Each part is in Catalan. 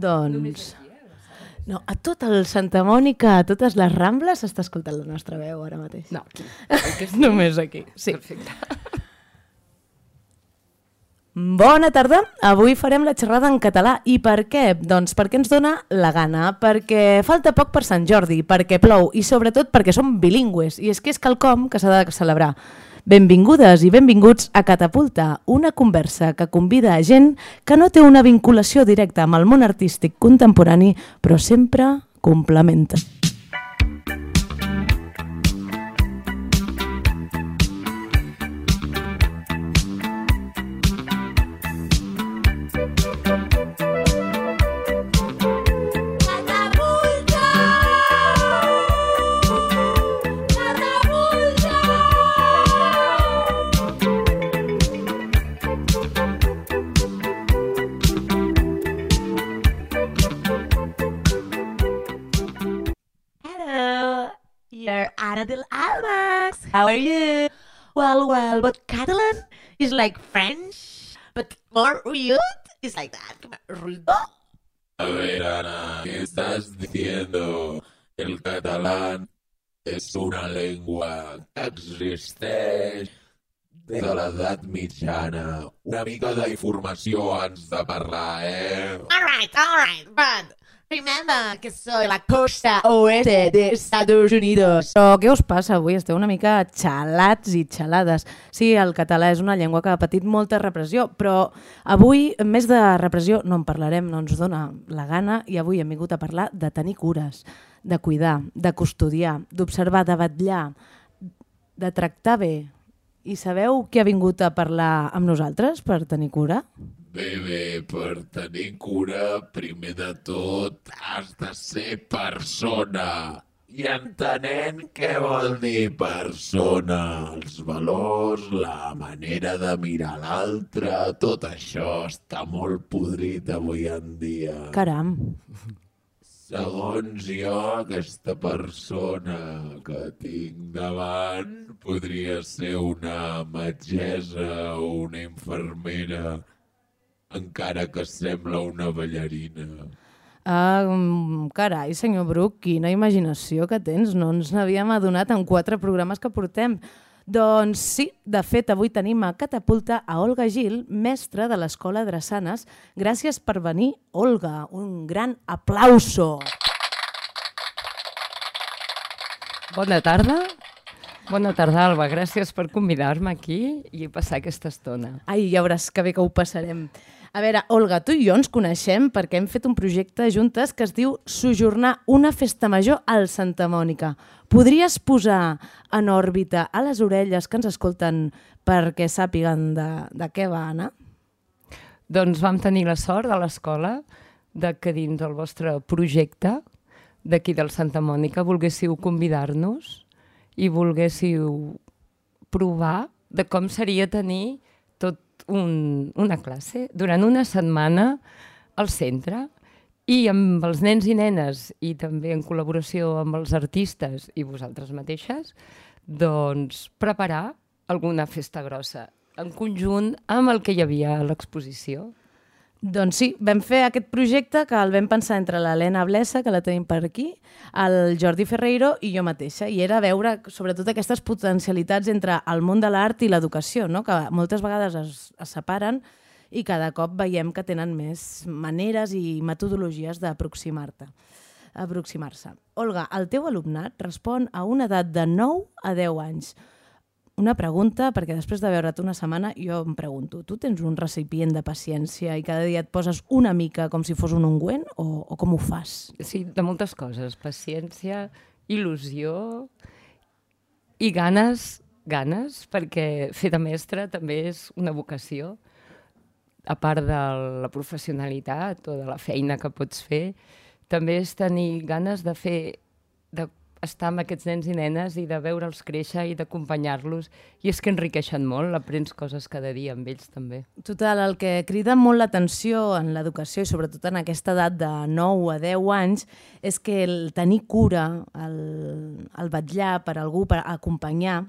Doncs... No, a tot el Santa Mònica, a totes les Rambles, s'està escoltant la nostra veu ara mateix. No, Només aquí. Sí. Perfecte. Bona tarda, avui farem la xerrada en català. I per què? Doncs perquè ens dona la gana, perquè falta poc per Sant Jordi, perquè plou i sobretot perquè som bilingües i és que és quelcom que s'ha de celebrar. Benvingudes i benvinguts a Catapulta, una conversa que convida a gent que no té una vinculació directa amb el món artístic contemporani, però sempre complementa. Adel Almax, how are you? Well, but Catalan is like French, but more rude. It's like that. Rudo. A ver, Ana, ¿qué estás diciendo? El catalán es una lengua que existeix des de l'edat mitjana. Una mica d'informació ens de parlar, All right, but remember que soy la costa oeste de Estados Unidos. Però què us passa avui? Esteu una mica xalats i xalades. Sí, el català és una llengua que ha patit molta repressió, però avui, més de repressió, no en parlarem, no ens dona la gana, i avui hem vingut a parlar de tenir cures, de cuidar, de custodiar, d'observar, de vetllar, de tractar bé. I sabeu qui ha vingut a parlar amb nosaltres per tenir cura? Bé, per tenir cura, primer de tot, has de ser persona. I entenent què vol dir persona, els valors, la manera de mirar l'altre, tot això està molt podrit avui en dia. Caram! Segons jo, aquesta persona que tinc davant podria ser una metgessa o una infermera, encara que sembla una ballarina. Carai, senyor Bruc, quina imaginació que tens. No ens n'havíem adonat en 4 programes que portem. Doncs sí, de fet, avui tenim a Catapulta a Olga Gil, mestra de l'Escola Drassanes. Gràcies per venir, Olga. Un gran aplauso. Bona tarda. Bona tarda, Alba. Gràcies per convidar-me aquí i passar aquesta estona. Ai, ja veuràs que bé que ho passarem. A veure, Olga, tu i jo ens coneixem perquè hem fet un projecte juntes que es diu Sojornar una festa major al Santa Mònica. Podries posar en òrbita a les orelles que ens escolten perquè sàpiguen de què va anar? Doncs vam tenir la sort a l'escola que dins del vostre projecte d'aquí del Santa Mònica volguéssiu convidar-nos i volguéssiu provar de com seria tenir tot una classe durant una setmana al centre i amb els nens i nenes i també en col·laboració amb els artistes i vosaltres mateixes, doncs preparar alguna festa grossa en conjunt amb el que hi havia a l'exposició. Doncs sí, vam fer aquest projecte que el vam pensar entre l'Helena Blesa, que la tenim per aquí, el Jordi Ferreiro i jo mateixa, i era veure sobretot aquestes potencialitats entre el món de l'art i l'educació, no? Que moltes vegades es separen i cada cop veiem que tenen més maneres i metodologies d'aproximar-se. Olga, el teu alumnat respon a una edat de 9 a 10 anys. Una pregunta, perquè després de veure't una setmana jo em pregunto, tu tens un recipient de paciència i cada dia et poses una mica com si fos un ungüent o com ho fas? Sí, de moltes coses. Paciència, il·lusió i ganes, perquè fer de mestre també és una vocació. A part de la professionalitat o de la feina que pots fer, també és tenir ganes de estar amb aquests nens i nenes i de veure'ls créixer i d'acompanyar-los. I és que enriqueixen molt, aprens coses cada dia amb ells també. Total, el que crida molt l'atenció en l'educació i sobretot en aquesta edat de 9 a 10 anys és que el tenir cura, el vetllar per algú, per acompanyar,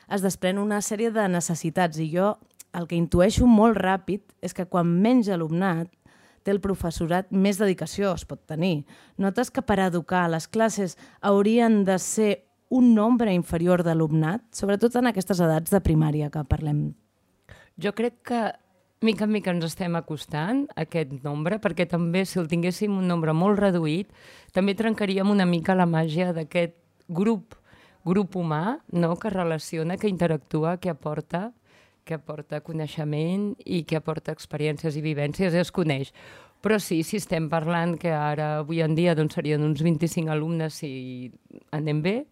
es desprèn una sèrie de necessitats i jo el que intueixo molt ràpid és que quan menys alumnat té el professorat, més dedicació es pot tenir. Notes que per educar les classes haurien de ser un nombre inferior d'alumnat, sobretot en aquestes edats de primària que parlem? Jo crec que mica en mica ens estem acostant a aquest nombre, perquè també si el tinguéssim un nombre molt reduït, també trencaríem una mica la màgia d'aquest grup humà, no?, que relaciona, que interactua, que aporta coneixement i que aporta experiències i vivències i es coneix. Però sí, si estem parlant que ara, avui en dia, doncs serien uns 25 alumnes si anem bé,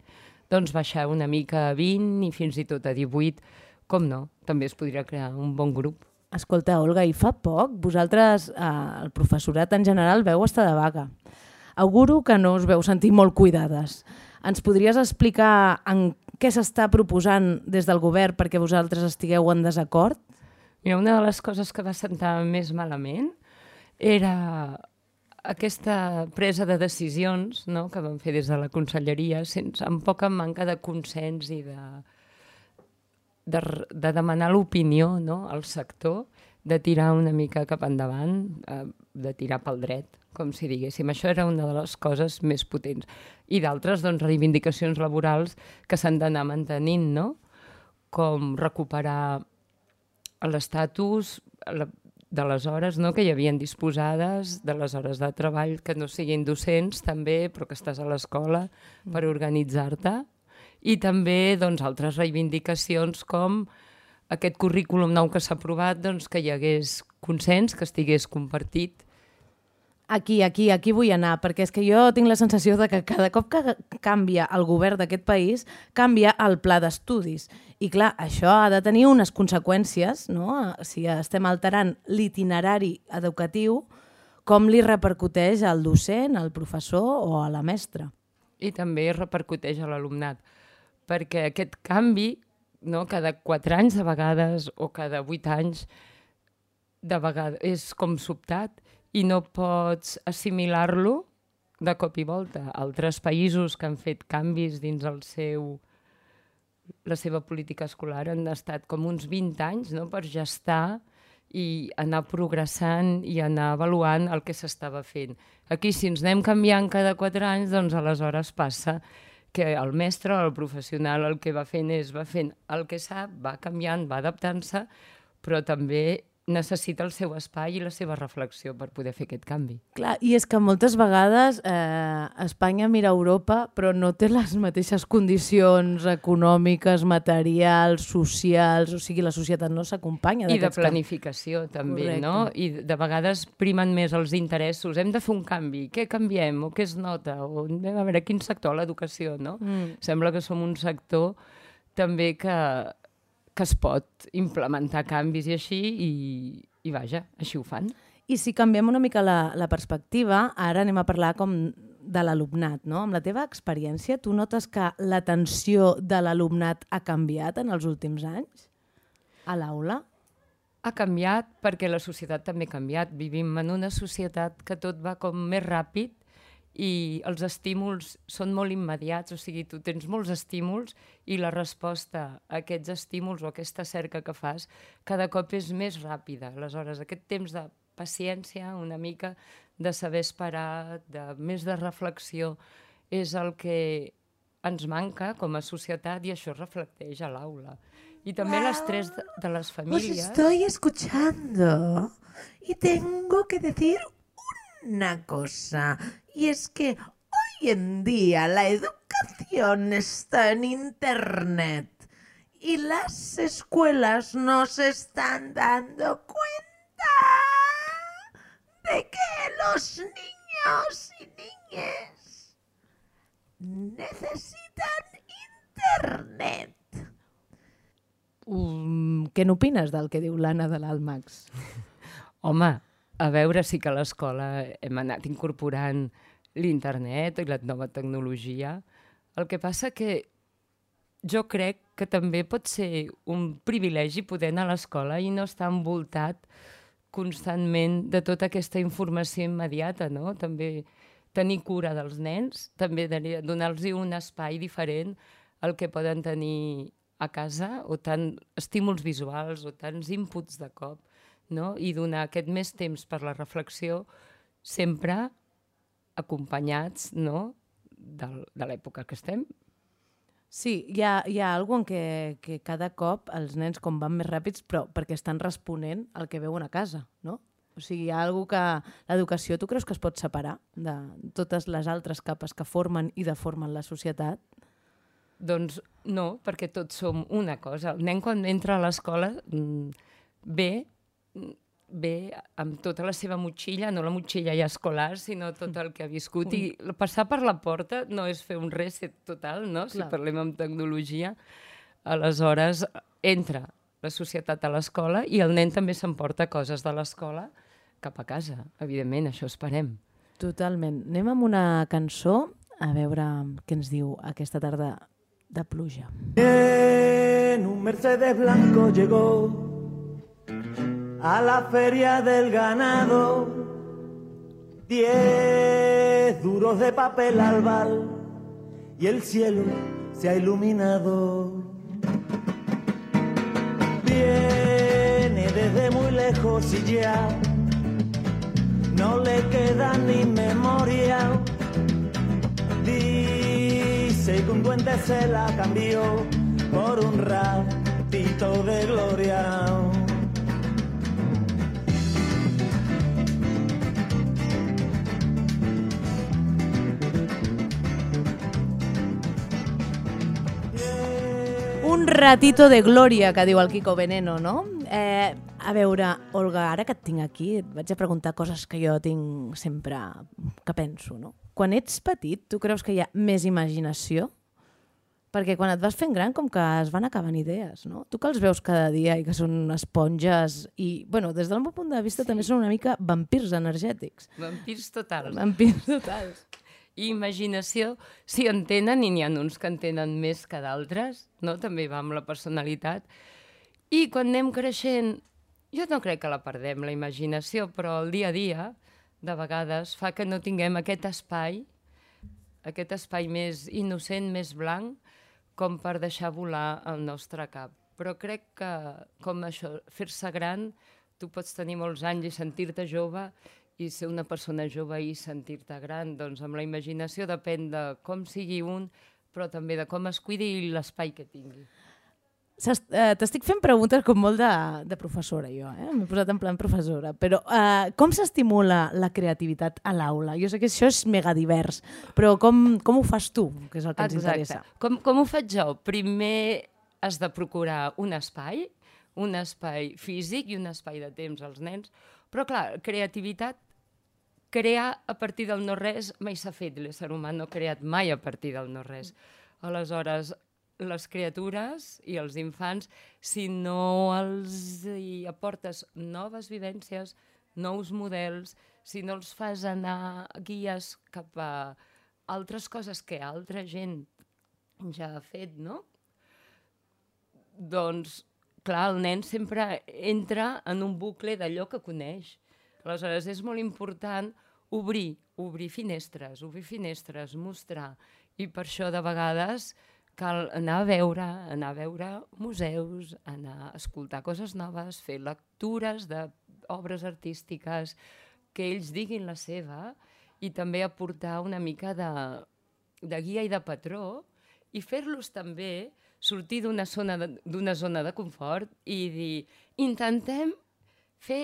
doncs baixar una mica a 20 i fins i tot a 18, com no? També es podria crear un bon grup. Escolta, Olga, i fa poc vosaltres, el professorat en general, veu estar de vaga. Auguro que no us veu sentir molt cuidades. Ens podries explicar en què s'està proposant des del govern perquè vosaltres estigueu en desacord? Mira, una de les coses que va sentar més malament era aquesta presa de decisions, no?, que vam fer des de la conselleria amb poca manca de consens i de demanar l'opinió, no?, al sector, de tirar una mica cap endavant, de tirar pel dret, com si diguéssim. Això era una de les coses més potents. I d'altres, doncs, reivindicacions laborals que s'han d'anar mantenint, no?, com recuperar l'estatus de les hores, no?, que hi havien disposades, de les hores de treball que no siguin docents també, però que estàs a l'escola per organitzar-te, i també doncs, altres reivindicacions com aquest currículum nou que s'ha aprovat, doncs, que hi hagués consens, que estigués compartit. Aquí vull anar, perquè és que jo tinc la sensació de que cada cop que canvia el govern d'aquest país, canvia el pla d'estudis. I clar, això ha de tenir unes conseqüències, no?, si estem alterant l'itinerari educatiu, com li repercuteix al docent, al professor o a la mestra. I també repercuteix a l'alumnat, perquè aquest canvi, no, cada 4 anys de vegades o cada 8 anys de vegades és com sobtat i no pots assimilar-lo de cop i volta. Altres països que han fet canvis dins la seva política escolar han estat com uns 20 anys, no?, per gestar i anar progressant i anar avaluant el que s'estava fent. Aquí, si ens anem canviant cada 4 anys, doncs aleshores passa que el mestre o el professional el que va fent el que sap, va canviant, va adaptant-se, però també necessita el seu espai i la seva reflexió per poder fer aquest canvi. Clar, i és que moltes vegades Espanya mira a Europa però no té les mateixes condicions econòmiques, materials, socials, o sigui, la societat no s'acompanya. I de planificació també, correcte, no? I de vegades primen més els interessos. Hem de fer un canvi, què canviem o què es nota? O anem a veure quin sector, l'educació, no? Sembla que som un sector també que es pot implementar canvis i així, i vaja, així ho fan. I si canviem una mica la perspectiva, ara anem a parlar com de l'alumnat, no? Amb la teva experiència, tu notes que l'atenció de l'alumnat ha canviat en els últims anys a l'aula? Ha canviat perquè la societat també ha canviat. Vivim en una societat que tot va com més ràpid i els estímuls són molt immediats, o sigui, tu tens molts estímuls i la resposta a aquests estímuls o aquesta cerca que fas cada cop és més ràpida. Aleshores, aquest temps de paciència, una mica de saber esperar, més de reflexió, és el que ens manca com a societat i això es reflecteix a l'aula. Y también l'estrès de les famílies. Os estoy escuchando y tengo que decir una cosa, y es que hoy en día la educación está en Internet y las escuelas no se están dando cuenta de que los niños y niñas necesitan Internet. Què n'opines del que diu l'Anna de l'Almax? Home, a veure, sí que a l'escola hem anat incorporant l'internet i la nova tecnologia. El que passa que jo crec que també pot ser un privilegi poder anar a l'escola i no estar envoltat constantment de tota aquesta informació immediata, no? També tenir cura dels nens, també donar-los un espai diferent al que poden tenir a casa, o tant estímuls visuals o tants inputs de cop. no? I donar aquest més temps per la reflexió, sempre acompanyats, no?, de l'època que estem. Sí, hi ha alguna cosa que cada cop els nens com van més ràpids, però perquè estan responent al que veuen a casa, no? O sigui, hi ha alguna cosa que l'educació tu creus que es pot separar de totes les altres capes que formen i deformen la societat? Doncs no, perquè tots som una cosa. El nen quan entra a l'escola ve amb tota la seva motxilla, no la motxilla ja escolar, sinó tot el que ha viscut. I passar per la porta no és fer un reset total, no? Si parlem amb tecnologia. Aleshores, entra la societat a l'escola i el nen també s'emporta coses de l'escola cap a casa. Evidentment, això esperem. Totalment. Anem amb una cançó a veure què ens diu aquesta tarda de pluja. En un Mercedes blanco llegó a la feria del ganado 10 duros de papel albal y el cielo se ha iluminado. Viene desde muy lejos y ya no le queda ni memoria. Dice que un duende se la cambió por un ratito de gloria. Un ratito de glòria, que diu el Kiko Veneno, no? A veure, Olga, ara que et tinc aquí, et vaig a preguntar coses que jo tinc sempre que penso, no? Quan ets petit, tu creus que hi ha més imaginació? Perquè quan et vas fent gran, com que es van acabant idees, no? Tu que els veus cada dia i que són esponges i, bueno, des del meu punt de vista també són una mica vampirs energètics. Vampirs totals. Vampirs totals. I imaginació, sí en tenen, i n'hi ha uns que en tenen més que d'altres, no? També va amb la personalitat. I quan anem creixent, jo no crec que la perdem, la imaginació, però el dia a dia, de vegades, fa que no tinguem aquest espai més innocent, més blanc, com per deixar volar el nostre cap. Però crec que, com això, fer-se gran, tu pots tenir molts anys i sentir-te jove, i ser una persona jove i sentir-te gran, doncs amb la imaginació depèn de com sigui un, però també de com es cuidi i l'espai que tingui. T'estic fent preguntes com molt de professora, jo. M'he posat en plan professora. Però com s'estimula la creativitat a l'aula? Jo sé que això és mega divers, però com ho fas tu, que és el que ens interessa? Com ho faig jo? Primer has de procurar un espai físic i un espai de temps als nens, però clar, creativitat, crear a partir del no-res mai s'ha fet. L'ésser humà no ha creat mai a partir del no-res. Aleshores, les criatures i els infants, si no els hi aportes noves vivències, nous models, si no els fas anar guies cap a altres coses que altra gent ja ha fet, no? Doncs, clar, el nen sempre entra en un bucle d'allò que coneix. Aleshores, és molt important obrir finestres, mostrar. I per això, de vegades, cal anar a veure museus, anar a escoltar coses noves, fer lectures d'obres artístiques, que ells diguin la seva i també aportar una mica de guia i de patró i fer-los també sortir d'una zona de confort i dir, intentem fer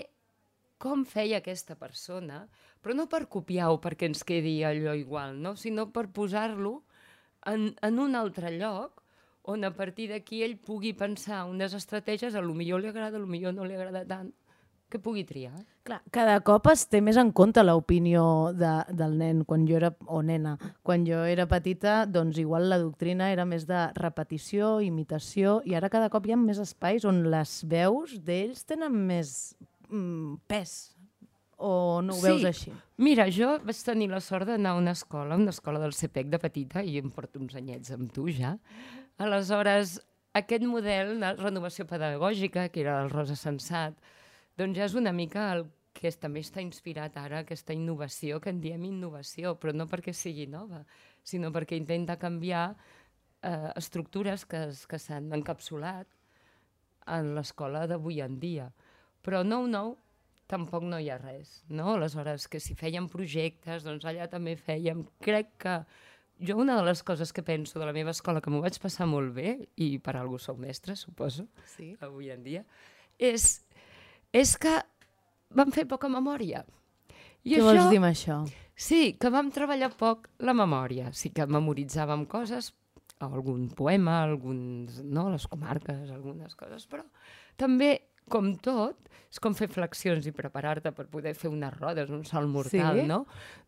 com feia aquesta persona, però no per copiar-ho perquè ens quedi allò igual, no? Sinó per posar-lo en un altre lloc on a partir d'aquí ell pugui pensar unes estratègies, potser li agrada, potser no li agrada tant, que pugui triar. Clar, cada cop es té més en compte l'opinió del nen o nena. Quan jo era petita, doncs igual la doctrina era més de repetició, imitació, i ara cada cop hi ha més espais on les veus d'ells tenen més pes, o no ho veus així? Mira, jo vaig tenir la sort d'anar a una escola del CPEC de petita, i em porto uns anyets amb tu ja. Aleshores, aquest model de renovació pedagògica, que era el Rosa Sensat, doncs ja és una mica el que també està inspirat ara, aquesta innovació, que en diem innovació, però no perquè sigui nova, sinó perquè intenta canviar estructures que s'han encapsulat en l'escola d'avui en dia. Però nou, tampoc no hi ha res, no? Aleshores, que si fèiem projectes, doncs allà també fèiem. Crec que jo una de les coses que penso de la meva escola, que m'ho vaig passar molt bé, i per algú soc mestra, suposo, avui en dia, és que vam fer poca memòria. I Què vols dir amb això? Sí, que vam treballar poc la memòria. Sí que memoritzàvem coses, algun poema, les comarques, algunes coses, però també, com tot, és com fer flexions i preparar-te per poder fer unes rodes, un salt mortal, no?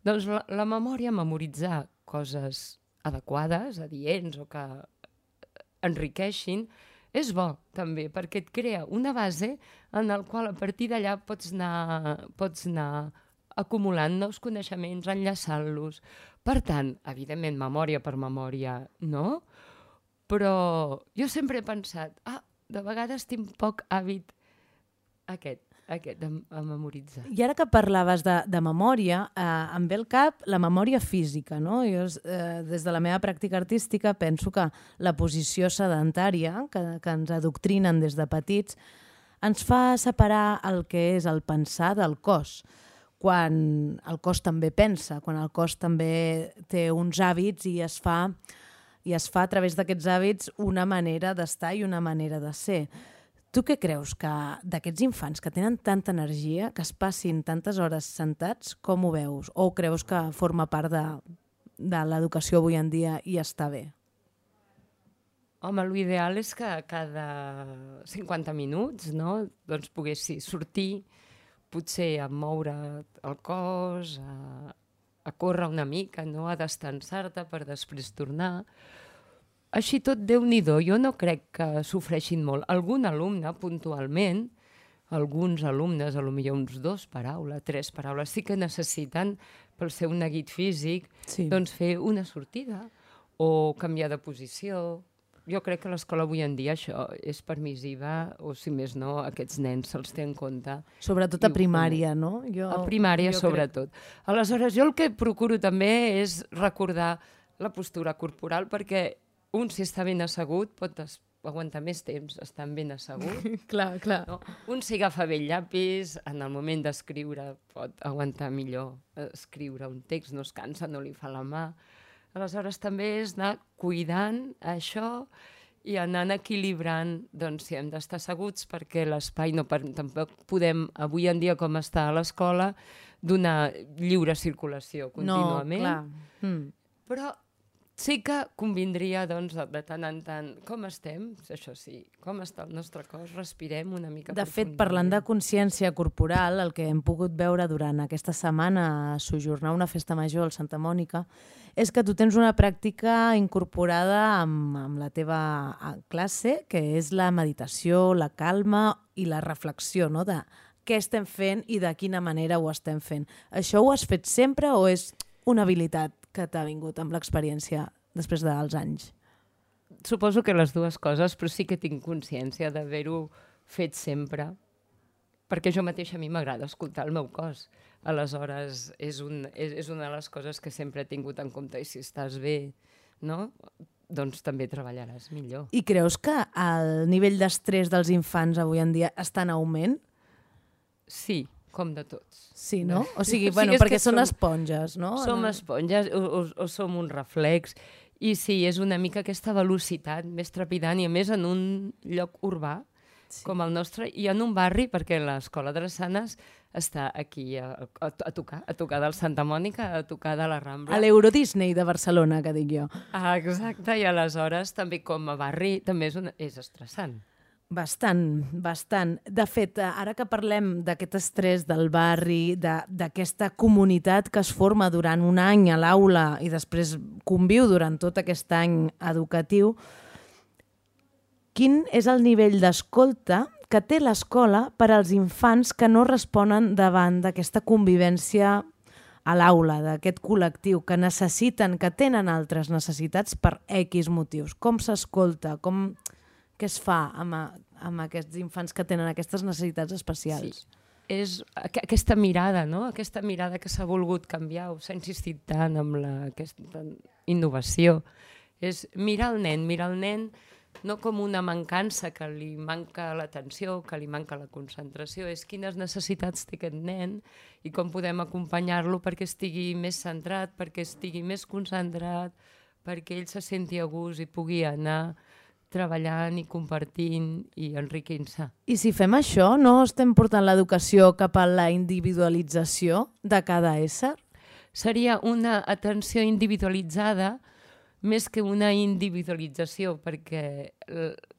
Doncs la memòria, memoritzar coses adequades, adients o que enriqueixin, és bo també, perquè et crea una base en la qual a partir d'allà pots anar acumulant nous coneixements, enllaçant-los. Per tant, evidentment, memòria per memòria, no? Però jo sempre he pensat, de vegades tinc poc hàbit aquest a memoritzar. I ara que parlaves de memòria, em ve al cap la memòria física, no? Jo, des de la meva pràctica artística, penso que la posició sedentària, que ens adoctrinen des de petits, ens fa separar el que és el pensar del cos, quan el cos també pensa, quan el cos també té uns hàbits i es fa a través d'aquests hàbits una manera d'estar i una manera de ser. Tu què creus que d'aquests infants que tenen tanta energia, que es passin tantes hores sentats, com ho veus? O creus que forma part de l'educació avui en dia i està bé? Home, l'ideal és que cada 50 minuts, no, doncs poguessis sortir, potser a moure el cos, a córrer una mica, no? A destensar-te per després tornar. Així tot, Déu-n'hi-do, jo no crec que sofreixin molt. Algun alumne, puntualment, alguns alumnes, potser uns 2 paraules, 3 paraules, sí que necessiten, pel seu neguit físic, doncs fer una sortida o canviar de posició. Jo crec que a l'escola avui en dia això és permissiva, o si més no, aquests nens se'ls té en compte. Sobretot a primària, no? A primària, sobretot. Aleshores, jo el que procuro també és recordar la postura corporal, perquè un, si està ben assegut, pot aguantar més temps estant ben assegut. Clar. No? Un, si agafa bé el llapis, en el moment d'escriure pot aguantar millor escriure un text, no es cansa, no li fa la mà. Aleshores, també és anar cuidant això i anant equilibrant, doncs, si hem d'estar asseguts, perquè l'espai tampoc podem, avui en dia com està a l'escola, donar lliure circulació contínuament. No, clar. Però sí que convindria, doncs, de tant en tant, com estem, això sí, com està el nostre cos, respirem una mica profundament. De fet, parlant de consciència corporal, el que hem pogut veure durant aquesta setmana a sojornar una festa major al Santa Mònica, és que tu tens una pràctica incorporada amb la teva classe, que és la meditació, la calma i la reflexió, no?, de què estem fent i de quina manera ho estem fent. Això ho has fet sempre o és una habilitat que t'ha vingut amb l'experiència després dels anys? Suposo que les dues coses, però sí que tinc consciència d'haver-ho fet sempre, perquè jo mateixa a mi m'agrada escoltar el meu cos. Aleshores, és una de les coses que sempre he tingut en compte, i si estàs bé, no?, doncs també treballaràs millor. I creus que el nivell d'estrès dels infants avui en dia està en augment? Sí, com de tots. Sí, no? O sigui, bueno, perquè són esponges, no? Som esponges o som un reflex. I sí, és una mica aquesta velocitat més trepidant, i a més en un lloc urbà com el nostre, i en un barri, perquè l'escola de les Sanes està aquí a tocar del Santa Mònica, a tocar de la Rambla. A l'Euro Disney de Barcelona, que dic jo. Exacte, i aleshores també com a barri també és estressant. Bastant. De fet, ara que parlem d'aquest estrès del barri, d'aquesta comunitat que es forma durant un any a l'aula i després conviu durant tot aquest any educatiu, quin és el nivell d'escolta que té l'escola per als infants que no responen davant d'aquesta convivència a l'aula, d'aquest col·lectiu, que necessiten, que tenen altres necessitats per X motius? Com s'escolta? Què es fa amb aquests infants que tenen aquestes necessitats especials? Sí. És aquesta mirada, no? Aquesta mirada que s'ha volgut canviar, o s'ha insistit tant amb aquesta innovació. És mirar el nen no com una mancança, que li manca l'atenció, que li manca la concentració, és quines necessitats té aquest nen i com podem acompanyar-lo perquè estigui més centrat, perquè estigui més concentrat, perquè ell se senti a gust i pugui anar treballant i compartint i enriquint-se. I si fem això, no estem portant l'educació cap a la individualització de cada ésser? Seria una atenció individualitzada més que una individualització, perquè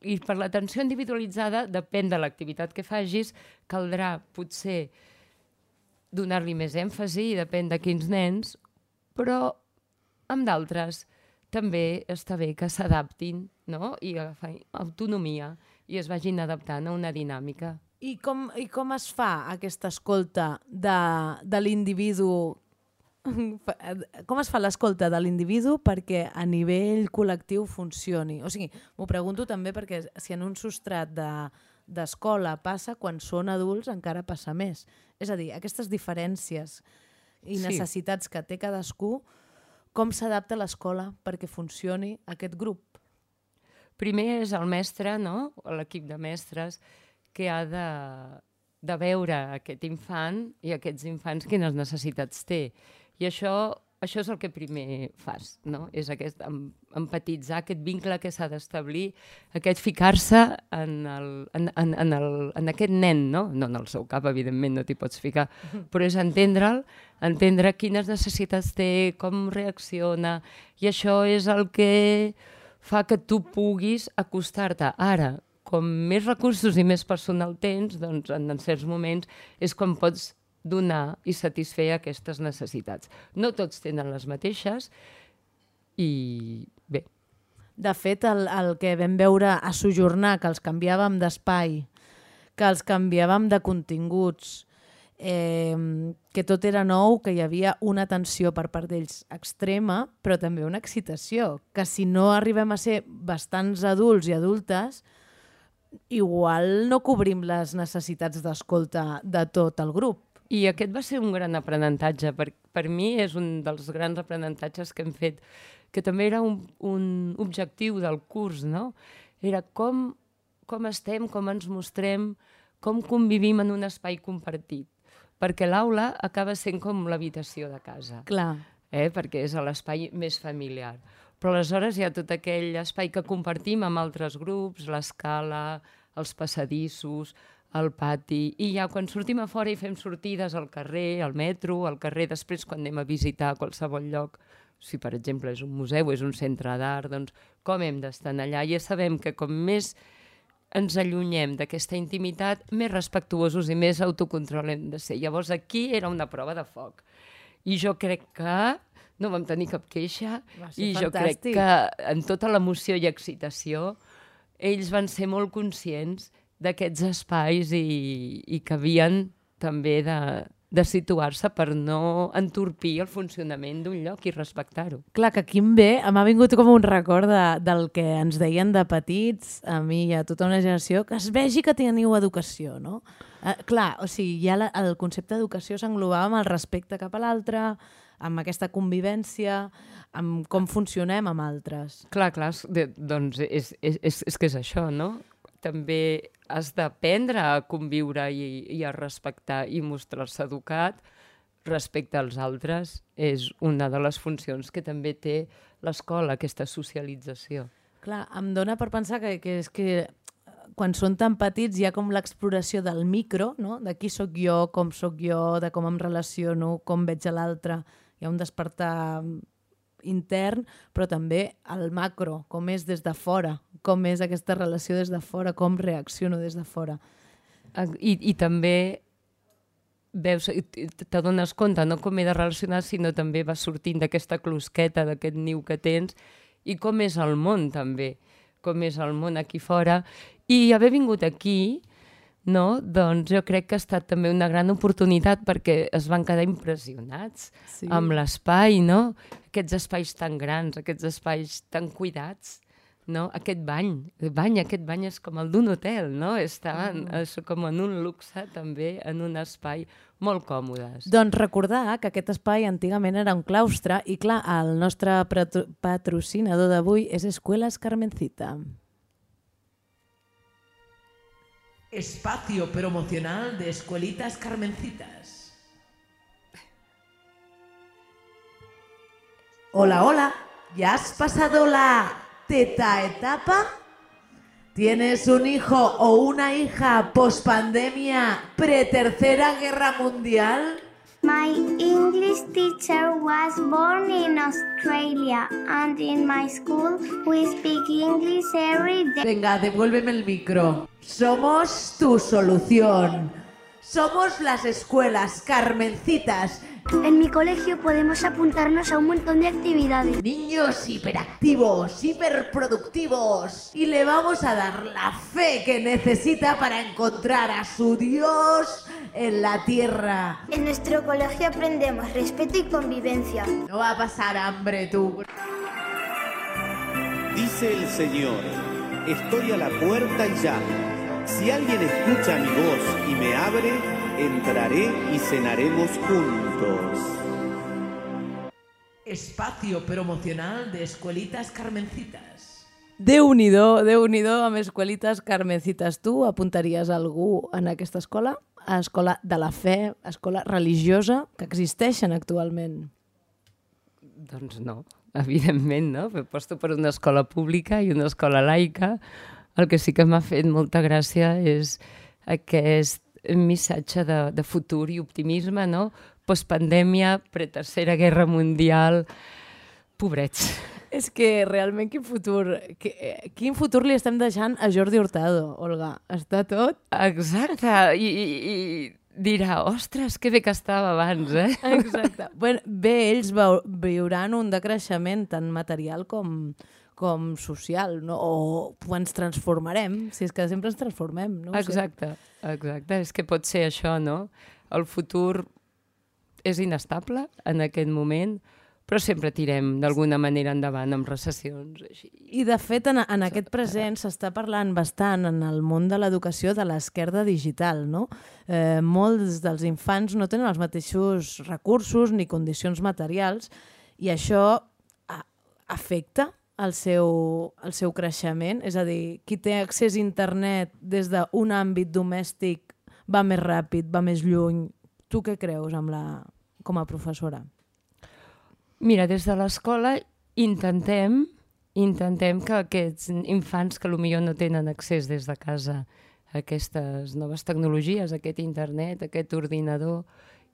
i per l'atenció individualitzada, depèn de l'activitat que facis, caldrà potser donar-li més èmfasi, depèn de quins nens, però amb d'altres també està bé que s'adaptin, no? I agafin autonomia i es vagin adaptant a una dinàmica. I com es fa aquesta escolta de l'individu? Com es fa l'escolta de l'individu perquè a nivell col·lectiu funcioni? O sigui, m'ho pregunto també perquè si en un substrat d'escola passa, quan són adults encara passa més. És a dir, aquestes diferències i necessitats que té cadascú, com s'adapta l'escola perquè funcioni aquest grup? Primer és el mestre, no? L'equip de mestres, que ha de veure aquest infant i aquests infants quines necessitats té. I això és el que primer fas, no? És empatitzar aquest vincle que s'ha d'establir, aquest ficar-se en aquest nen, no? No en el seu cap, evidentment, no t'hi pots ficar, però és entendre'l, entendre quines necessitats té, com reacciona, i això és el que fa que tu puguis acostar-te. Ara, com més recursos i més personal tens, doncs en certs moments és quan pots donar i satisfer aquestes necessitats. No tots tenen les mateixes i bé. De fet, el que vam veure a Sojornar, que els canviàvem d'espai, que els canviàvem de continguts, que tot era nou, que hi havia una tensió per part d'ells extrema, però també una excitació, que si no arribem a ser bastants adults i adultes, igual no cobrim les necessitats d'escolta de tot el grup. I aquest va ser un gran aprenentatge. Per mi és un dels grans aprenentatges que hem fet, que també era un objectiu del curs, no? Era com estem, com ens mostrem, com convivim en un espai compartit. Perquè l'aula acaba sent com l'habitació de casa. Clar. Perquè és l'espai més familiar. Però aleshores hi ha tot aquell espai que compartim amb altres grups, l'escala, els passadissos, al pati, i ja quan sortim a fora i fem sortides al carrer, al metro, al carrer, després quan anem a visitar qualsevol lloc, si per exemple és un museu, és un centre d'art, doncs com hem d'estar allà? Ja sabem que com més ens allunyem d'aquesta intimitat, més respectuosos i més autocontrol hem de ser. Llavors aquí era una prova de foc. I jo crec que no vam tenir cap queixa, i jo crec que en tota l'emoció i excitació ells van ser molt conscients d'aquests espais i que havien també de situar-se per no entorpir el funcionament d'un lloc i respectar-ho. Clar, que aquí em m'ha vingut com un record del que ens deien de petits, a mi i a tota una generació, que es vegi que teniu educació, no? Clar, o sigui, ja el concepte d'educació s'englobava amb el respecte cap a l'altre, amb aquesta convivència, amb com funcionem amb altres. Clar, doncs és que és això, no? També has d'aprendre a conviure i a respectar i mostrar-se educat respecte als altres. És una de les funcions que també té l'escola, aquesta socialització. Clar, em dona per pensar que és que quan són tan petits hi ha com l'exploració del micro, no? De qui sóc jo, com sóc jo, de com em relaciono, com veig a l'altre. Hi ha un despertar intern, però també el macro, com és des de fora, com és aquesta relació des de fora, com reacciono des de fora. I també veus, t'adones compte, no com he de relacionar, sinó també vas sortint d'aquesta closqueta, d'aquest niu que tens, i com és el món també, com és el món aquí fora. I haver vingut aquí, no? Doncs jo crec que ha estat també una gran oportunitat perquè es van quedar impressionats amb l'espai, no? Aquests espais tan grans, aquests espais tan cuidats, no? Aquest bany és com el d'un hotel, no? Estaven com en un luxe també, en un espai molt còmodes. Doncs recordar que aquest espai antigament era un claustre i clar, el nostre patrocinador d'avui és Escuelas Carmencita. Espacio promocional de Escuelitas Carmencitas. Hola, hola. ¿Ya has pasado la teta etapa? ¿Tienes un hijo o una hija pospandemia pre-tercera guerra mundial? My English teacher was born in Australia, and in my school we speak English every day. Venga, devuélveme el micro. Somos tu solución. Somos las escuelas Carmencitas. En mi colegio podemos apuntarnos a un montón de actividades. Niños hiperactivos, hiperproductivos. Y le vamos a dar la fe que necesita para encontrar a su Dios en la tierra. En nuestro colegio aprendemos respeto y convivencia. No va a pasar hambre tú. Dice el Señor, estoy a la puerta y llamo. Si alguien escucha mi voz y me abre, entraré y cenaremos juntos. Espacio promocional de Escuelitas Carmencitas. Déu-n'hi-do amb Escuelitas Carmencitas. Tu apuntaries algú en aquesta escola? A escola de la fe, escola religiosa, que existeixen actualment? Doncs no, evidentment no. Aposto per una escola pública i una escola laica. El que sí que m'ha fet molta gràcia és aquest missatge de futur i optimisme, no? Postpandèmia, pre-tercera guerra mundial, pobrets. És que realment quin futur li estem deixant a Jordi Hurtado, Olga? Està tot? Exacte, i dirà, ostres, que bé que estava abans, eh? Exacte. Bé, ells viuran un decreixement tant material com social, no? O ens transformarem, si és que sempre ens transformem, no? Exacte, és que pot ser això, no? El futur és inestable en aquest moment, però sempre tirem d'alguna manera endavant amb recessions. Així. I de fet, en aquest present s'està parlant bastant en el món de l'educació de l'esquerda digital, no? Molts dels infants no tenen els mateixos recursos ni condicions materials i això afecta el seu creixement, és a dir, qui té accés a internet des d'un àmbit domèstic va més ràpid, va més lluny. Tu què creus com a professora? Mira, des de l'escola intentem que aquests infants que potser no tenen accés des de casa a aquestes noves tecnologies, a aquest internet, a aquest ordinador,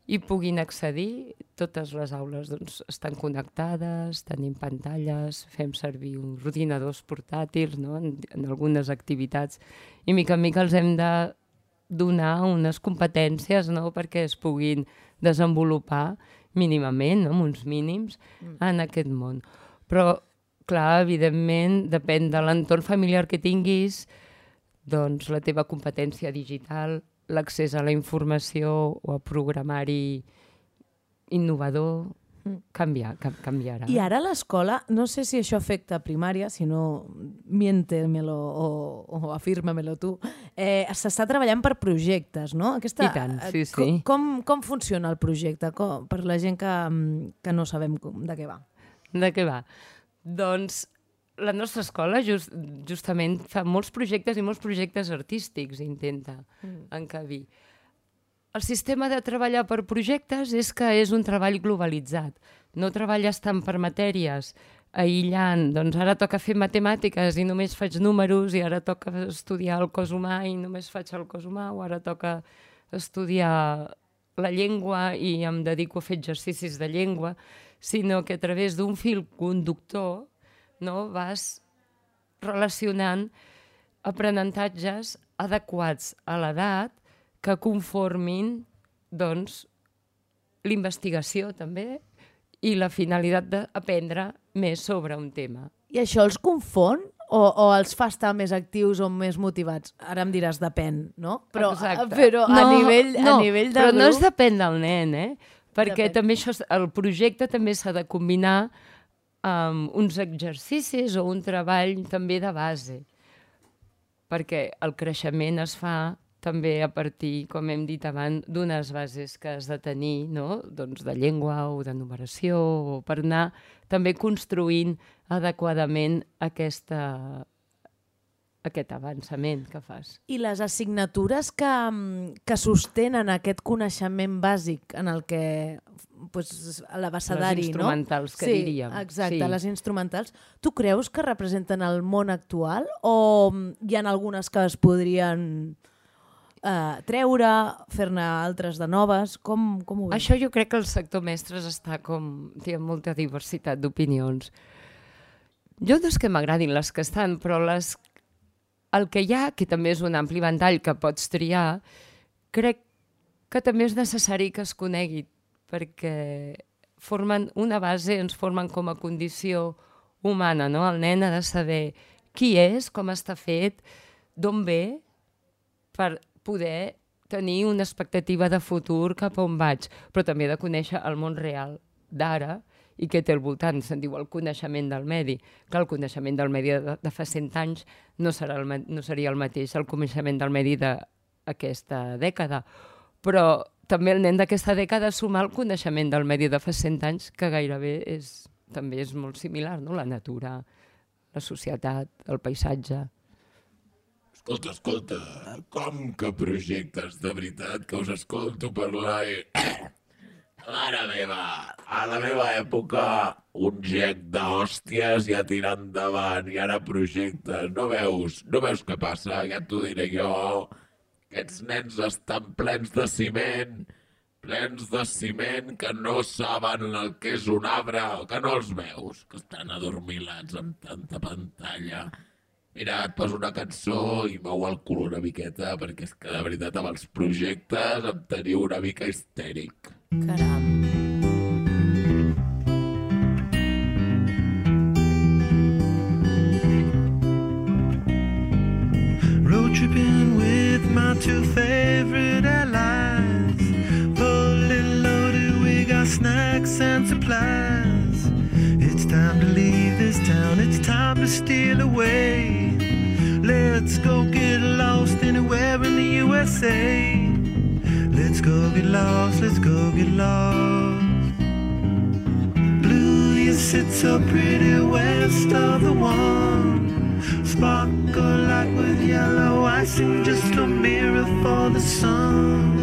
i puguin accedir. Totes les aules doncs, estan connectades, tenim pantalles, fem servir ordinadors portàtils, no? en algunes activitats, i mica en mica els hem de donar unes competències, no? perquè es puguin desenvolupar mínimament, no? amb uns mínims, en aquest món. Però, clar, evidentment, depèn de l'entorn familiar que tinguis, doncs la teva competència digital, l'accés a la informació o a programari innovador canviarà. I ara l'escola, no sé si això afecta a primària, si no, miéntemelo o afirma-melo tu, s'està treballant per projectes, no? I tant, sí. Com funciona el projecte per la gent que no sabem de què va? De què va? Doncs la nostra escola justament fa molts projectes artístics, intenta encabir. El sistema de treballar per projectes és que és un treball globalitzat. No treballes tant per matèries, aïllant, doncs ara toca fer matemàtiques i només faig números, i ara toca estudiar el cos humà i només faig el cos humà, o ara toca estudiar la llengua i em dedico a fer exercicis de llengua, sinó que a través d'un fil conductor, no, vas relacionant aprenentatges adequats a l'edat que conformin doncs, l'investigació també i la finalitat d'aprendre més sobre un tema. I això els confon o els fa estar més actius o més motivats? Ara em diràs depèn, no? Però a nivell de grup... Però no es depèn del nen, perquè també el projecte també s'ha de combinar amb uns exercicis o un treball també de base, perquè el creixement es fa també a partir, com hem dit abans, d'unes bases que has de tenir, no? Doncs de llengua o de numeració, o per anar també construint adequadament aquesta aquest avançament que fas. I les assignatures que sostenen aquest coneixement bàsic en el que l'abecedari, les instrumentals, no? que diríem. Exacte, Sí. les instrumentals. Tu creus que representen el món actual o hi ha algunes que es podrien treure, fer-ne altres de noves? Com ho veus? Això jo crec que el sector mestres està té molta diversitat d'opinions. Jo no és que m'agradin les que estan, però el que hi ha, que també és un ampli ventall que pots triar, crec que també és necessari que es conegui, perquè formen una base, ens formen com a condició humana, no? El nen ha de saber qui és, com està fet, d'on ve, per poder tenir una expectativa de futur cap a on vaig, però també de conèixer el món real d'ara i què té al voltant. Se'n diu el coneixement del medi. Que el coneixement del medi de fa 100 anys no seria el mateix el coneixement del medi d'aquesta dècada. Però també el nen d'aquesta dècada suma el coneixement del medi de fa 100 anys, que gairebé també és molt similar, no? La natura, la societat, el paisatge. Escolta, com que projectes, de veritat, que us escolto parlar i... Mare meva, a la meva època, un gec d'hòsties ja tirar endavant i ara projectes. No veus què passa? Ja t'ho diré jo. Aquests nens estan plens de ciment que no saben el que és un arbre, que no els veus, que estan adormilats amb tanta pantalla. Mira, et poso una cançó i mou el cul una miqueta, perquè és que de veritat amb els projectes em teniu una mica histèric. Caram. Road tripping with my two favorite allies. Fully loaded, we got snacks and supplies. It's time to leave this town, it's time to steal away. Let's go get lost anywhere in the USA. Let's go get lost, let's go get lost. Blue, you sit so pretty west of the one. Sparkle like with yellow icing, just a mirror for the sun.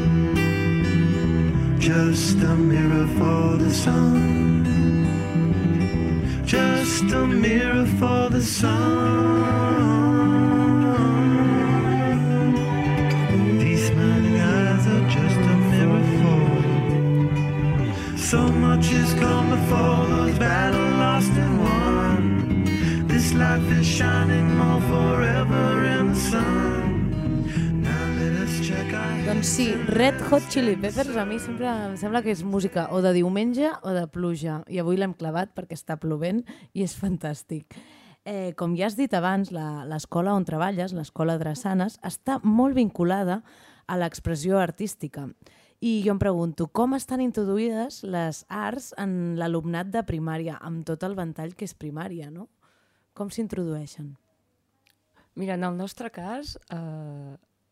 Just a mirror for the sun. Just a mirror for the sun. These smiling eyes are just a mirror for you. So much has come before, those battles lost and won. This life is shining more forever in the sun. Doncs sí, Red Hot Chili Peppers a mi sempre em sembla que és música o de diumenge o de pluja, i avui l'hem clavat perquè està plovent i és fantàstic. Com ja has dit abans, l'escola on treballes, l'escola Drassanes, està molt vinculada a l'expressió artística. I jo em pregunto, com estan introduïdes les arts en l'alumnat de primària, amb tot el ventall que és primària, no? Com s'introdueixen? Mira, en el nostre cas,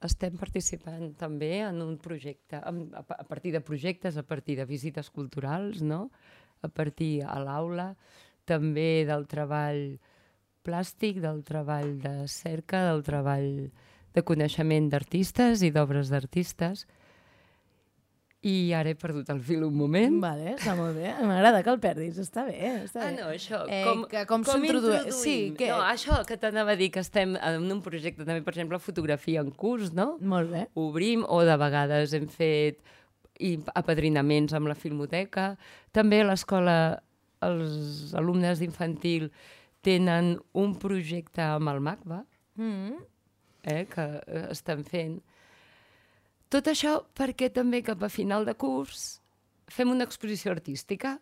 estem participant també en un projecte, a partir de projectes, a partir de visites culturals, no? A partir a l'aula, també del treball plàstic, del treball de cerca, del treball de coneixement d'artistes i d'obres d'artistes. I ara he perdut el fil un moment. Vale, està molt bé. M'agrada que el perdis, està bé. Està bé. No, això. Com s'introdueix? Sí, No, això que t'anava a dir, que estem en un projecte també, per exemple, fotografia en curs, no? Molt bé. Obrim, o de vegades hem fet apadrinaments amb la Filmoteca. També a l'escola els alumnes d'infantil tenen un projecte amb el MACBA, que estan fent. Tot això perquè també cap a final de curs fem una exposició artística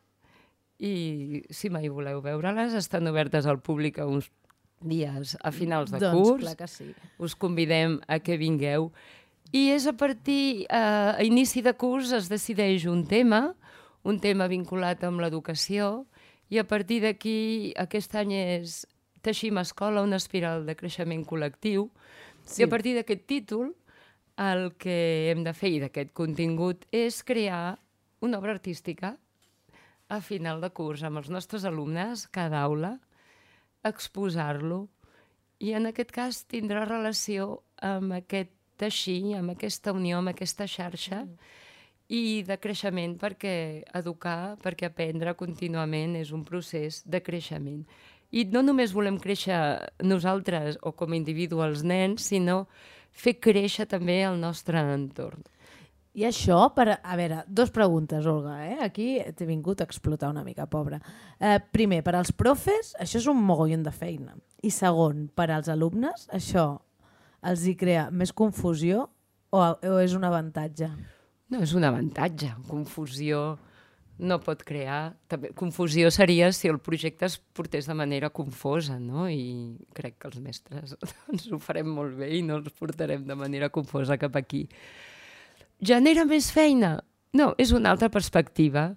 i si mai voleu veure-les estan obertes al públic uns dies a finals de curs. Doncs clar que sí. Us convidem a que vingueu. I és a partir, a inici de curs es decideix un tema vinculat amb l'educació, i a partir d'aquí aquest any és Teixim Escola, una espiral de creixement col·lectiu, i a partir d'aquest títol el que hem de fer, i d'aquest contingut, és crear una obra artística a final de curs amb els nostres alumnes, cada aula, exposar-lo i en aquest cas tindrà relació amb aquest teixir, amb aquesta unió, amb aquesta xarxa, i de creixement, perquè educar, perquè aprendre contínuament és un procés de creixement. I no només volem créixer nosaltres o com a individu els nens, sinó fer créixer també el nostre entorn. I això, a veure, 2 preguntes, Olga, Aquí t'he vingut a explotar una mica, pobra. Primer, per als profes, això és un mogollon de feina. I segon, per als alumnes, això els hi crea més confusió o és un avantatge? No, és un avantatge. Confusió no pot crear. També, confusió seria si el projecte es portés de manera confosa, no? I crec que els mestres doncs, ho farem molt bé i no els portarem de manera confosa cap aquí. Genera més feina? No, és una altra perspectiva.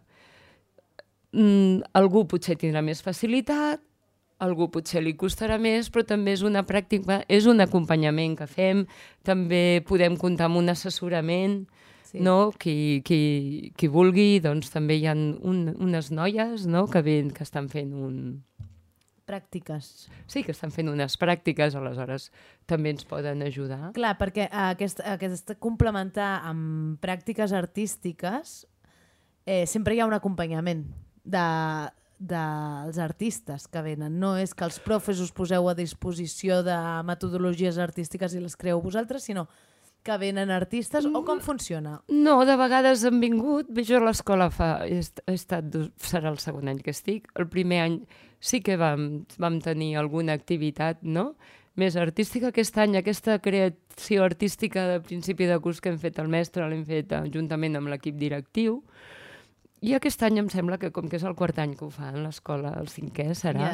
Algú potser tindrà més facilitat, algú potser li costarà més, però també és una pràctica, és un acompanyament que fem, també podem comptar amb un assessorament, no? Qui vulgui, doncs també hi ha unes noies, no? que estan fent pràctiques. Sí, que estan fent unes pràctiques, aleshores també ens poden ajudar. Clar, perquè aquest complementar amb pràctiques artístiques sempre hi ha un acompanyament dels artistes que venen. No és que els profes us poseu a disposició de metodologies artístiques i les creeu vosaltres, sinó que venen artistes, o com funciona? No, de vegades han vingut. Jo a l'escola serà el segon any que estic. El primer any sí que vam tenir alguna activitat, no?, més artística. Aquest any, aquesta creació artística de principi de curs que hem fet el mestre, l'hem fet juntament amb l'equip directiu. I aquest any em sembla que, com que és el quart any que ho fan l'escola, el 5è serà,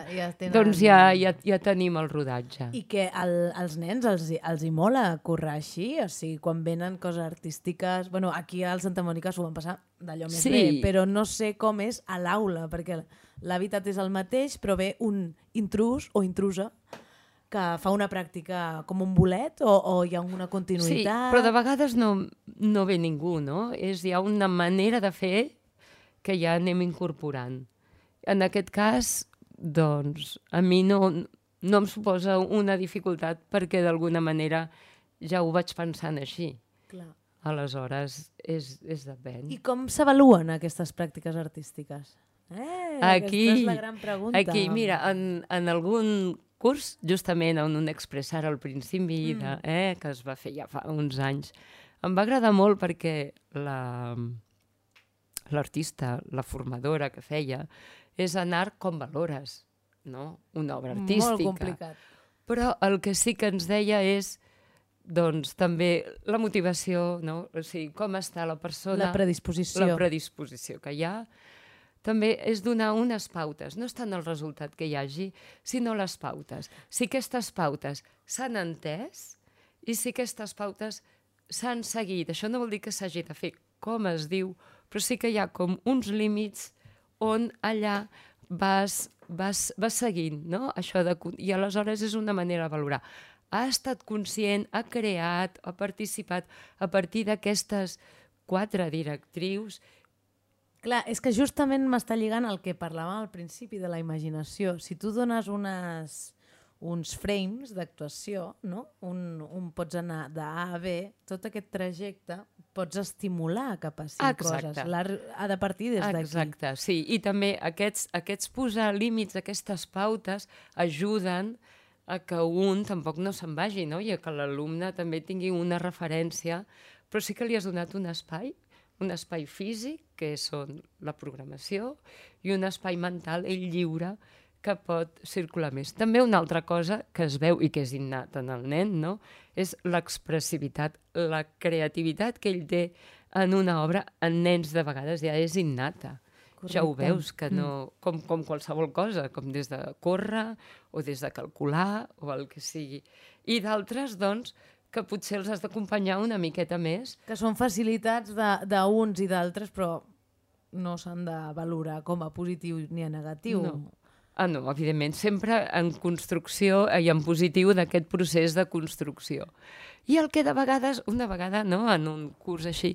doncs ja tenim el rodatge. I que als nens els hi mola currar així? O sigui, quan venen coses artístiques... Bueno, aquí al Santa Mònica s'ho van passar d'allò més bé, però no sé com és a l'aula, perquè l'hàbitat és el mateix, però ve un intrus o intrusa que fa una pràctica com un bolet o hi ha una continuïtat? Sí, però de vegades no ve ningú, no? Hi ha una manera de fer que ja anem incorporant. En aquest cas, doncs, a mi no em suposa una dificultat perquè d'alguna manera ja ho vaig pensant així. Clar. Aleshores, és depèn. I com s'avaluen aquestes pràctiques artístiques? Aquesta és la gran pregunta. Aquí, mira, en algun curs, justament on un expressar al principi, que es va fer ja fa uns anys, em va agradar molt perquè l'artista, la formadora que feia, és anar com valores, no? Una obra artística. Molt complicat. Però el que sí que ens deia és, doncs, també la motivació, no? O sigui, com està la persona... La predisposició. La predisposició que hi ha. També és donar unes pautes. No és tant el resultat que hi hagi, sinó les pautes. Si aquestes pautes s'han entès i si aquestes pautes s'han seguit. Això no vol dir que s'hagi de fer com es diu, però sí que hi ha com uns límits on allà vas seguint, no? I aleshores és una manera de valorar. Ha estat conscient, ha creat, ha participat a partir d'aquestes 4 directrius. Clar, és que justament m'està lligant al que parlàvem al principi de la imaginació. Si tu dones uns frames d'actuació, no? Pots anar d'A a B, tot aquest trajecte pots estimular cap a 5 coses. L'art ha de partir des d'aquí. Exacte, sí. I també aquests posar límits, aquestes pautes, ajuden a que un tampoc no se'n vagi, no? I a que l'alumne també tingui una referència, però sí que li has donat un espai físic, que són la programació, i un espai mental, ell lliure, que pot circular més. També una altra cosa que es veu i que és innata en el nen, no? És l'expressivitat, la creativitat que ell té en una obra, en nens de vegades ja és innata. Correcte. Ja ho veus, que no, com qualsevol cosa, com des de córrer o des de calcular o el que sigui. I d'altres, doncs, que potser els has d'acompanyar una miqueta més. Que són facilitats d'uns i d'altres, però no s'han de valorar com a positiu ni a negatiu. No. No, evidentment, sempre en construcció i en positiu d'aquest procés de construcció. I el que de vegades, una vegada, no, en un curs així,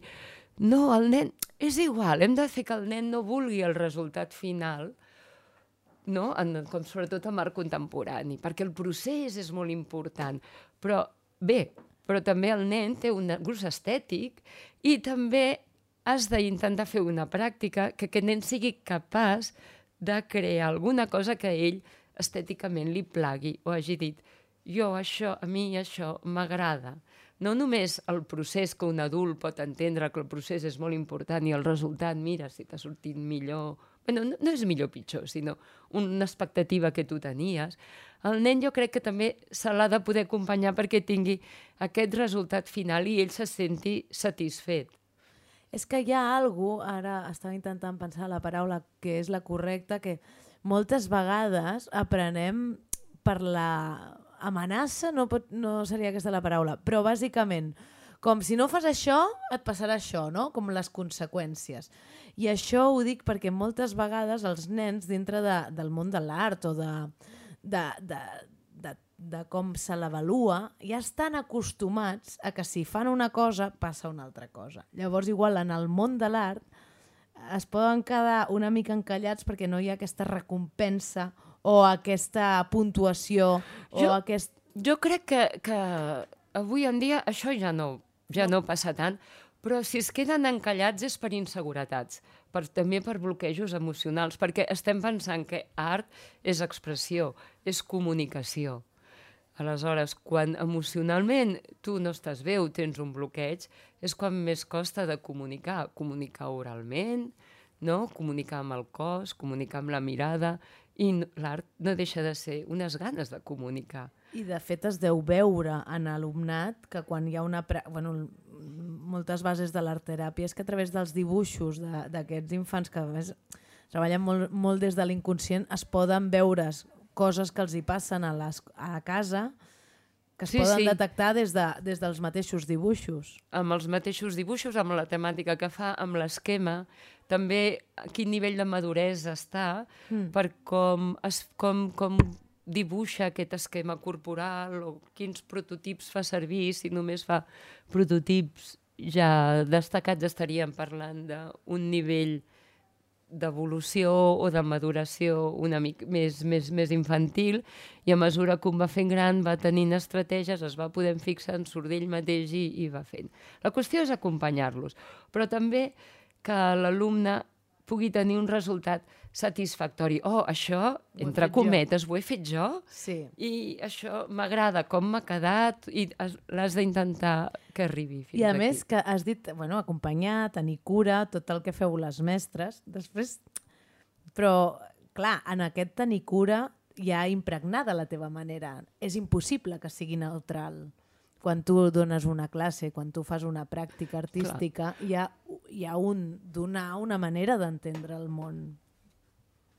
no, el nen, és igual, hem de fer que el nen no vulgui el resultat final, no? Com sobretot en art contemporani, perquè el procés és molt important. Però també el nen té un gust estètic i també has d'intentar fer una pràctica que aquest nen sigui capaç de crear alguna cosa que a ell estèticament li plagui o hagi dit a mi això m'agrada. No només el procés que un adult pot entendre que el procés és molt important i el resultat, mira, si t'ha sortit millor... Bueno, no és millor o pitjor, sinó una expectativa que tu tenies. El nen jo crec que també se l'ha de poder acompanyar perquè tingui aquest resultat final i ell se senti satisfet. És que hi ha alguna cosa, ara estava intentant pensar la paraula que és la correcta, que moltes vegades aprenem per la amenaça, no seria aquesta la paraula, però bàsicament, com si no fas això, et passarà això, no? Com les conseqüències. I això ho dic perquè moltes vegades els nens dintre del món de l'art o de com se l'avalua, ja estan acostumats a que si fan una cosa, passa una altra cosa. Llavors, igual, en el món de l'art es poden quedar una mica encallats perquè no hi ha aquesta recompensa o aquesta puntuació Jo crec que avui en dia això ja no passa tant, però si es queden encallats és per inseguretats, també per bloquejos emocionals, perquè estem pensant que art és expressió, és comunicació. Aleshores, quan emocionalment tu no estàs bé o tens un bloqueig, és quan més costa de comunicar oralment, no? Comunicar amb el cos, comunicar amb la mirada, i l'art no deixa de ser unes ganes de comunicar. I de fet es deu veure en alumnat que quan hi ha moltes bases de l'art-teràpia és que a través dels dibuixos d'aquests infants que a més treballen molt des de l'inconscient es poden veure coses que els hi passen a casa que es poden detectar des dels mateixos dibuixos. Amb els mateixos dibuixos, amb la temàtica que fa, amb l'esquema, també a quin nivell de maduresa està per com dibuixa aquest esquema corporal o quins prototips fa servir. Si només fa prototips ja destacats estaríem parlant d'un nivell d'evolució o de maduració una mica més infantil, i a mesura que un va fent gran va tenint estratègies, es va podent fixar en surt d'ell mateix i va fent. La qüestió és acompanyar-los, però també que l'alumne pugui tenir un resultat satisfactori. Això, entre cometes, ho he fet jo? Sí. I això m'agrada, com m'ha quedat, i l'has d'intentar que arribi fins aquí. I a més que has dit, acompanyar, tenir cura, tot el que feu les mestres, després... Però, clar, en aquest tenir cura hi ha impregnada la teva manera. És impossible que sigui neutral. Quan tu dones una classe, quan tu fas una pràctica artística, hi ha donar una manera d'entendre el món.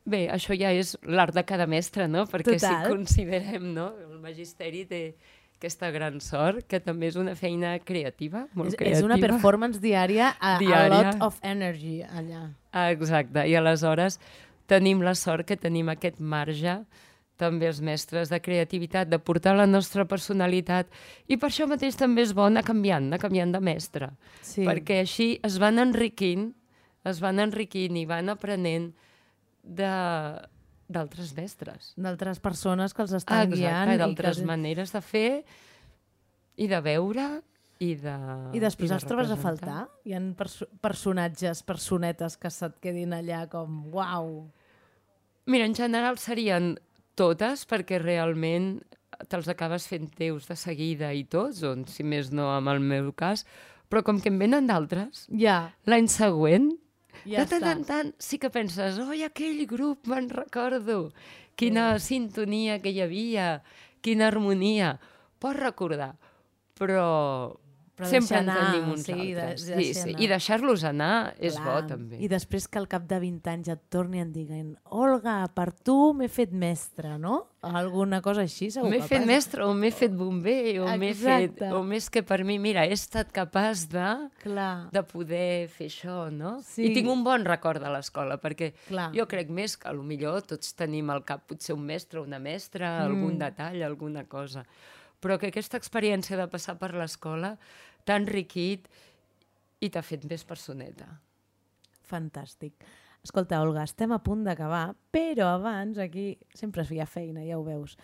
Bé, això ja és l'art de cada mestre, no? Perquè si considerem, no? El magisteri té aquesta gran sort, que també és una feina creativa, molt creativa. És una performance diària, a lot of energy allà. Exacte, i aleshores tenim la sort que tenim aquest marge, també els mestres, de creativitat, de portar la nostra personalitat, i per això mateix també és bo anar canviant de mestre, perquè així es van enriquint i van aprenent d'altres mestres. D'altres persones que els estan guiant. Exacte, d'altres maneres de fer i de veure i després els trobes a faltar? Hi ha personetes que se't quedin allà com uau. Mira, en general serien totes, perquè realment te'ls acabes fent teus de seguida i tots, o si més no en el meu cas, però com que en venen d'altres, l'any següent de tant en tant sí que penses, aquell grup me'n recordo, quina sintonia que hi havia, quina harmonia, pots recordar, però sempre en tenim uns altres. I deixar-los anar és bo també. I després que al cap de 20 anys et torni i et diguin Olga, per tu m'he fet mestre, no? Alguna cosa així segur que passa. M'he fet mestre o m'he fet bomber o més que per mi, mira, he estat capaç de poder fer això, no? I tinc un bon record de l'escola, perquè jo crec més que potser tots tenim al cap potser un mestre o una mestra, algun detall, alguna cosa, però que aquesta experiència de passar per l'escola t'ha enriquit i t'ha fet més personeta. Fantàstic. Escolta, Olga, estem a punt d'acabar, però abans, aquí sempre hi ha feina, ja ho veus.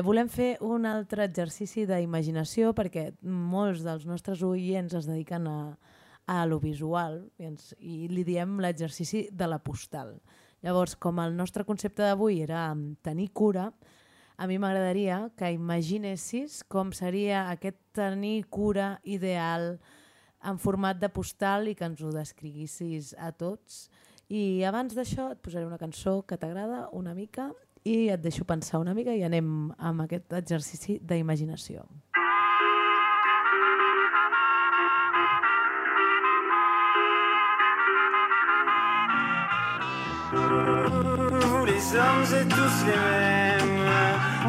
Volem fer un altre exercici d'imaginació perquè molts dels nostres oients es dediquen a lo visual i li diem l'exercici de la postal. Llavors, com el nostre concepte d'avui era tenir cura, a mi m'agradaria que imaginessis com seria aquest tenir cura ideal en format de postal i que ens ho descriguissis a tots. I abans d'això et posaré una cançó que t'agrada una mica i et deixo pensar una mica i anem amb aquest exercici d'imaginació. Vous les hommes êtes tous les mêmes,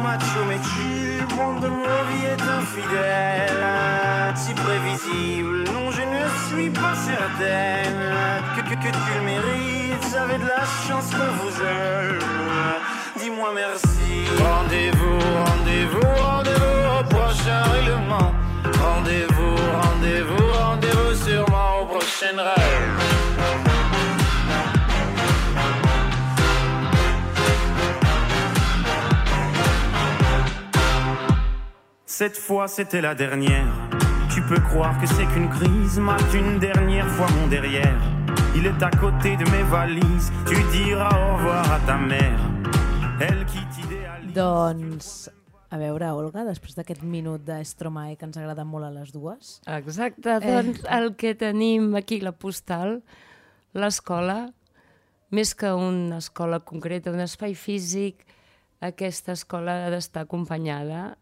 macho mais tu, le monde de nos vies est infidèle, si prévisible, non je ne suis pas certaine que tu le mérites, vous avez de la chance qu'on vous aime, dis-moi merci. Rendez-vous, rendez-vous, rendez-vous au prochain règlement, rendez-vous, rendez-vous, rendez-vous sûrement au prochain rêve. Cette fois c'était la dernière. Tu peux croire que c'est qu'une crise, mate une dernière fois mon derrière. Il est à côté de mes valises. Tu diras au revoir à ta mère. Elle qui t'idéalise. Doncs, a veure, Olga, després d'aquest minut d'Stromae que ens agrada molt a les dues. Exacte, doncs el que tenim aquí, la postal, l'escola, més que una escola concreta, un espai físic, aquesta escola ha d'estar acompanyada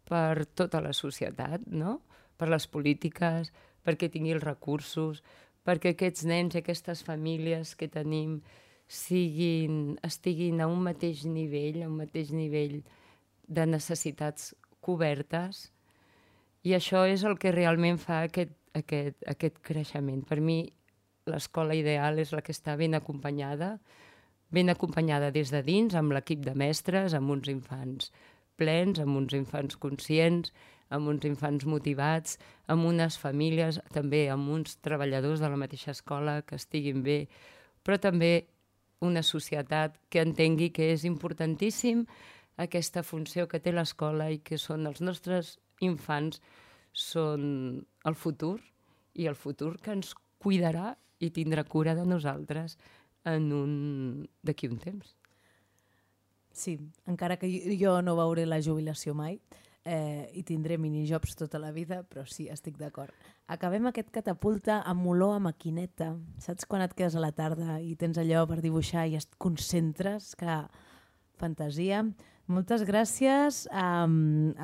per tota la societat, no? Per les polítiques, perquè tingui els recursos, perquè aquests nens i aquestes famílies que tenim estiguin a un mateix nivell de necessitats cobertes, i això és el que realment fa aquest creixement. Per mi, l'escola ideal és la que està ben acompanyada des de dins, amb l'equip de mestres, amb uns infants plens, amb uns infants conscients, amb uns infants motivats, amb unes famílies, també amb uns treballadors de la mateixa escola que estiguin bé, però també una societat que entengui que és importantíssim aquesta funció que té l'escola i que són els nostres infants, són el futur, i el futur que ens cuidarà i tindrà cura de nosaltres d'aquí un temps. Sí, encara que jo no veuré la jubilació mai i tindré minijobs tota la vida, però sí, estic d'acord. Acabem aquest catapulta amb olor a maquineta. Saps quan et quedes a la tarda i tens allò per dibuixar i et concentres? Que fantasia. Moltes gràcies a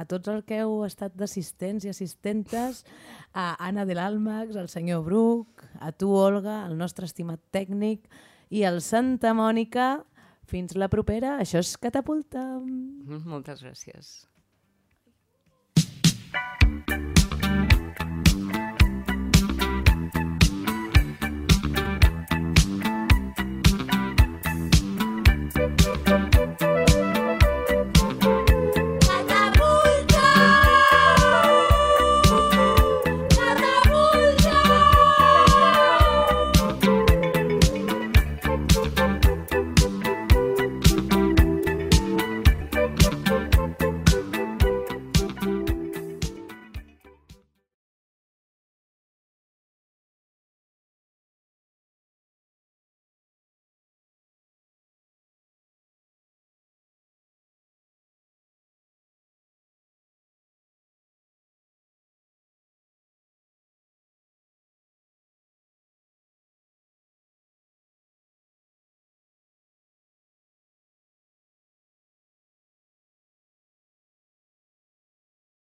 tots els que heu estat d'assistents i assistentes, a Anna de l'Almax, al senyor Bruc, a tu, Olga, el nostre estimat tècnic, i al Santa Mònica. Fins la propera. Això és Catapulta. Moltes gràcies.